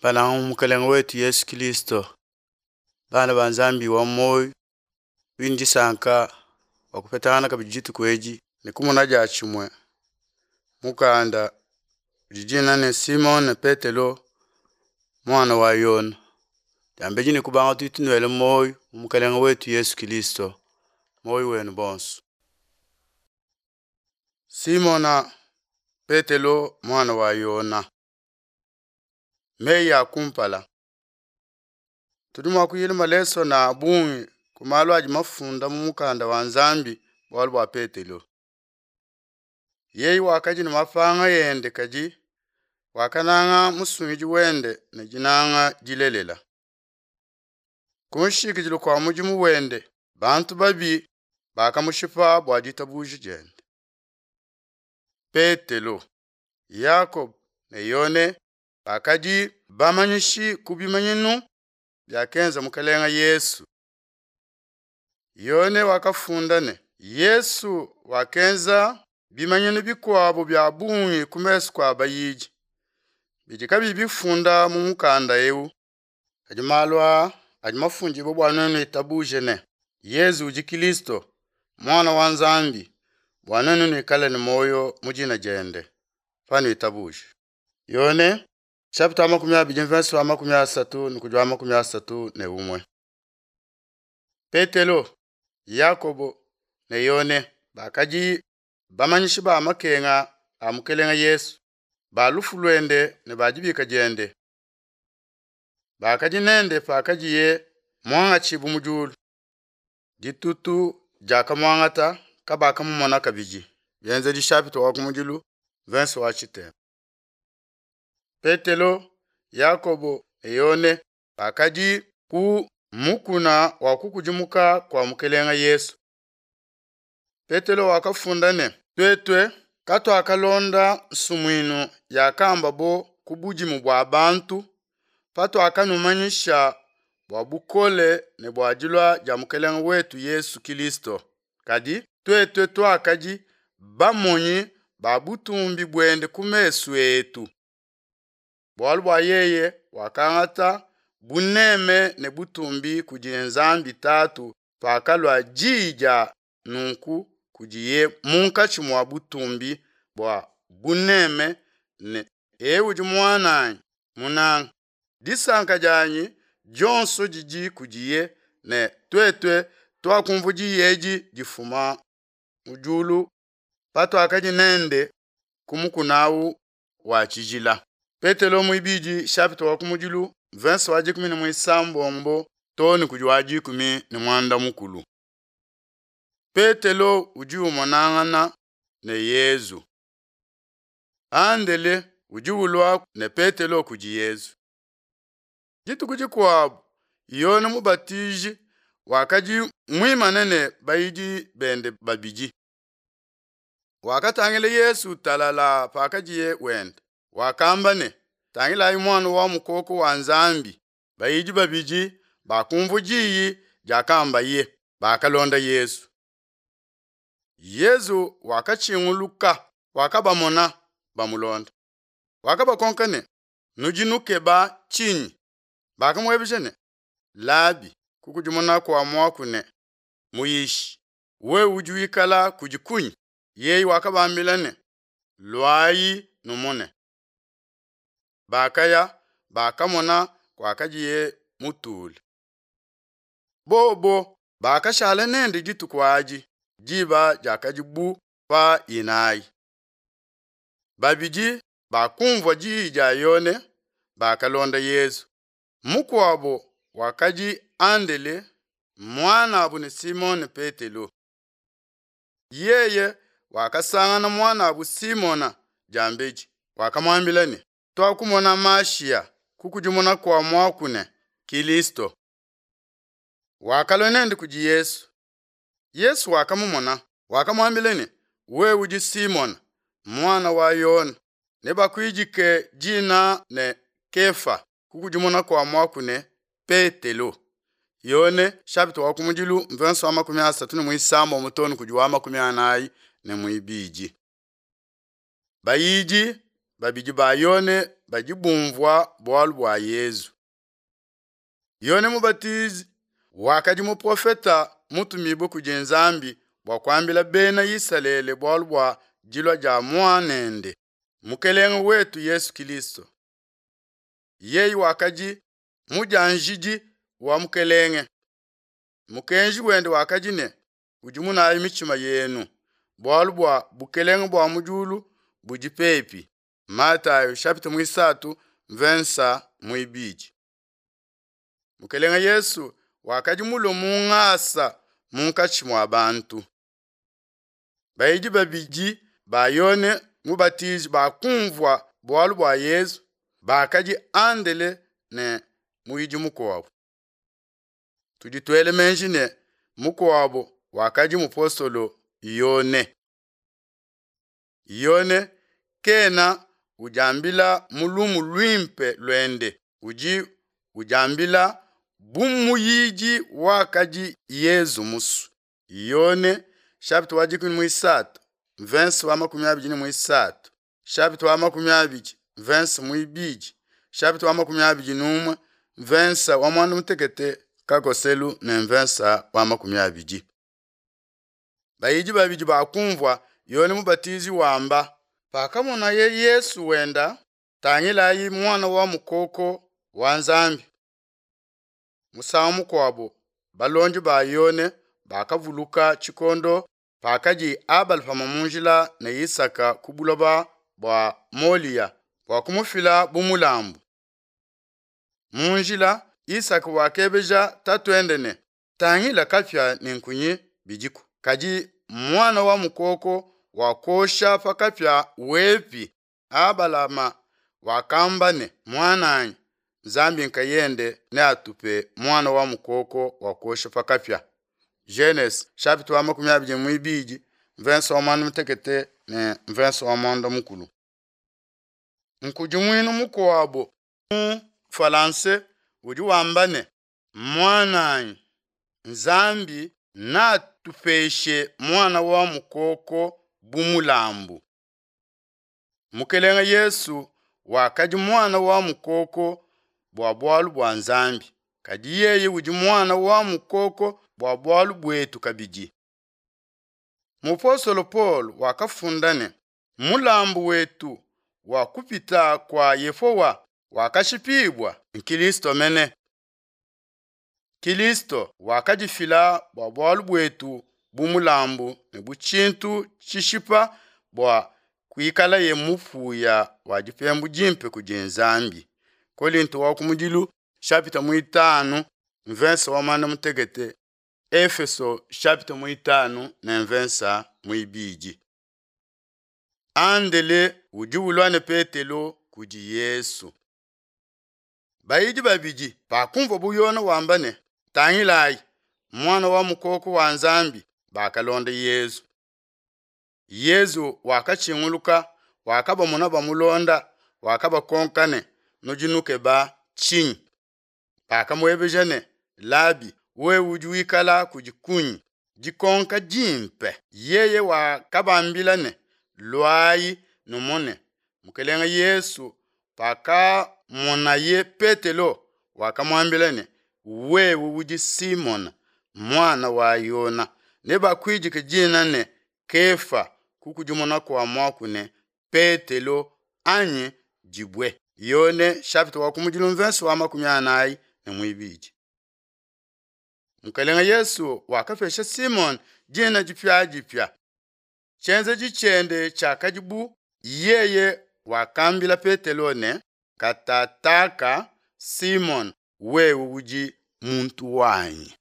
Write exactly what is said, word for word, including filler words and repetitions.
Bananga mu Mukelenge wetu Yesu Kilisto, bana ba Nzambi wa muoyo, tudi ne disanka bua kupetangana kabidi dituku edi ne kumona diatshimue mukanda udi dina ne Simone Petelo muana wa Yona. Diambedi ne kubanga tudi tunuela muoyo mu Mukelenge wetu Yesu Kilisto, muoyo wenu bonso. Simona Petelo muana wa Yona. Meyi a kumpala. Tudi mua kuyila malesona a bungi ku malu adi mafunda mu mukanda wa Nzambi bualu bua Petelo. Yeye wakadi ne mapanga ende kadi wakananga musungidi wende ne dinanga dilelela. Ku nshikidilu kua mudimu wende, bantu babi bakamushipa bua ditabuja diende. Petelo, Yakobo ne Yone bakadi bamanyishi ku bimanyinu biakenza Mukelenge Yesu. Yone wakafunda ne, Yesu wakenza bimanyinu bikuabo bia bungi ku mesu kua bayidi, bidi kabiyi bifunda mu mukanda eu. Kadi malu aa adi mafundibue bua nuenu itabuje ne, Yesu udi Kilisto, Muana wa Nzambi, bua nuenu nuikale ne muoyo mu dina diende, panuitabuje. Yone chapitre makumi abidi mverse wa makumi asatu ne kudi wa makumi asatu ne umue. Petelo, Yakobo ne Yone bakadi bamanyishi ba makenga a Mukelenge Yesu, ba lufu luende ne ba dibika diende. Bakadi nende pakadiye muangatshibue mu diulu. Ditutu diakamuangata kabakamumona kabidi. Bienzedi chapitre wa kumudilu verse wa tshitema. Petelo, Yakobo ne Yone bakadi ku mukuna wa kukudimuka kua Mukelenge Yesu. Petelo wakafunda ne, tuetue katuakalonda nsumuinu yakambabo ku budimu bua bantu patuakanumanyisha bua bukole ne bua dilua dia Mukelenge wetu Yesu Kilisto. Kadi tuetue tuakadi bamonyi ba butumbi buende ku mesu etu. Bualu bua yeye wakangata buneme ne butumbi kudi Nzambi Tatu pakalua diyi dia nunku kudiye munkatshi mua butumbi bua buneme ne, eu udi muananyi munanga, disanka dianyi dionso didi kudiye, ne tuetue tuakumvua diyi edi difuma mu diulu patuakadi nende ku mukuna awu wa tshijila. Petelo muibidi chapitre wa kumudilu verse wa dikumi ne muisambombo too ne kudi wa dikumi ne muanda mukulu. Petelo udi umonangana ne Yezu. Andele udi ulua ne Petelo kudi Yezu. Dituku dikuabu Yone Mubatiji wakadi muimane ne bayidi bende babidi. Wakatangila Yesu talala pakadiye wenda. Wakamba ne, tangilayi muana wa mukoko wa Nzambi. Bayidi babidi bakumvua diyi diakambaye, bakalonda Yesu. Yesu wakatshinguluka, wakabamona bamulonda. Wakabakonka ne, nudi nukeba tshinyi? Bakamuebeja ne, Labi, kukudimuna kua muaku ne, Muyishi, wewe udi wikala kudi kunyi? Yeye wakabambila ne, luayi numone. Bakaya, bakamona kuakadiye mutule. Bobo bakashala nende dituku adi, diba diakadi bu pa inayi. Babidi bakumvua diyi dia Yone, bakalonda Yesu. Mukuabo wakadi Andele, muanabu ne Simone Petelo. Yeye wakasangana muanabu Simona diambedi, wakamuambila ne, tuakumona Mashiya, kukudimuna kua muaku ne, Kilisto. Wakalua nende kudi Yesu. Yesu wakamumona, wakamuambila ne, wewe udi Simona, muana wa Yona, nebakuidike dina ne Kefa, kukudimuna kua muaku ne, Petelo. Yone chapitre wa kumudilu mverse wa makumi asatu ne muisambombo too ne kudi wa makumi anayi ne muibidi. Bayidi babidi ba Yone badi bumvua bualu bua Yezu. Yone Mubatizi wakadi muprofeta mutumibue kudi Nzambi bua kuambila Bena Isalele bualu bua dilua dia Muanende, Mukelenge wetu Yesu Kilisto. Yeye wakadi mudianjidi wa Mukelenge. Mukenji wende wakadi ne, kudimunayi mitshima yenu, bualu bua bukelenge bua mu diulu budi pepi. Matayo chapitre muisatu mvensa muibidi. Mukelenge Yesu wakadi mulue mu ngasa munkatshi mua bantu. Bayidi babidi ba Yone Mubatizi bakumvua bualu bua Yezu, bakadi Andele ne muyidi mukuabo. Tudi tuela meji ne mukuabo wakadi mupostolo Yone. Yone kena udiambila mu lumu luimpe luende, udi udiambila bu muyidi wakadi Yezu musue. Yone chapitre wa dikumi muisatu verse wa makumi abidi ne muisatu chapitre wa makumi abidi verse muibidi chapitre wa makumi abidi n'umue verse wa muanda mutekete kakoselu ne verse wa makumi abidi. Bayidi babidi bakumvua Yone Mubatizi wamba, pakamonaye Yesu wenda, tangilayi muana wa mukoko wa Nzambi. Musangu mukuabo balondi ba Yone bakavuluka tshikondo pakadi Abalahama mu njila ne Isaka ku buloba bua Moliya bua kumufila bu mulambu. Mu njila Isaka wakebeja tatuende ne, tangila kapia ne nkunyi bidiku, kadi muana wa mukoko wakosha pa kapia wepi? Abalahama wakamba ne, muananyi, Nzambi nkayende neatupe muana wa mukoko wakosha pa kapia. Genese chapitre wa makumi abidi muibidi verse wa muanda mutekete ne verse wa muanda mukulu. Nkudimuinu mukuabo mu Falanse udi wamba ne, muananyi, Nzambi natupeshe muana wa mukoko bu mulambu. Mukelenge Yesu wakadi muana wa mukoko bua bualu bua Nzambi, kadi yeye udi muana wa mukoko bua bualu buetu kabidi. Mupostolo Paul wakafunda ne, mulambu wetu wa kupita kua Yehowa wakashipibua Kilisto mene. Kilisto wakadifila bua bualu buetu bu mulambu ne bu tshintu tshishipa bua kuikalaye mupuya wa dipembu dimpe kudi Nzambi. Kolinto wa kumudilu chapitre muitanu verse wa muanda mutekete, Efeso chapitre muitanu ne verse muibidi. Andele udi ulua ne Petelo kudi Yesu. Bayidi babidi bakumvua bu Yone wamba ne, tangilayi muana wa mukoko wa Nzambi, bakalonda Yezu. Yezu wakatshinguluka, wakabamona bamulonda, wakabakonka ne, nudi nukeba tshinyi? Bakamuebeja ne, Labi, wewe udi wikala kudi kunyi? Dikonka dimpe. Yeye wakabambila ne, luayi numone. Mukelenge Yesu pakamonaye Petelo, wakamuambila ne, wewe udi Simona muana wa Yona, nebakuidike dina ne Kefa, kukudimuna kua muaku ne Petelo anyi dibue. Yone chapitre wa kumudilu mvenso wa makumi anayi ne muibidi. Mukelenge Yesu wakapesha Simon dina dipiadipia. Tshienzedi tshiende tshiakadi bu yeye wakambila Petelo ne, katataka Simon, wewe udi muntu wanyi.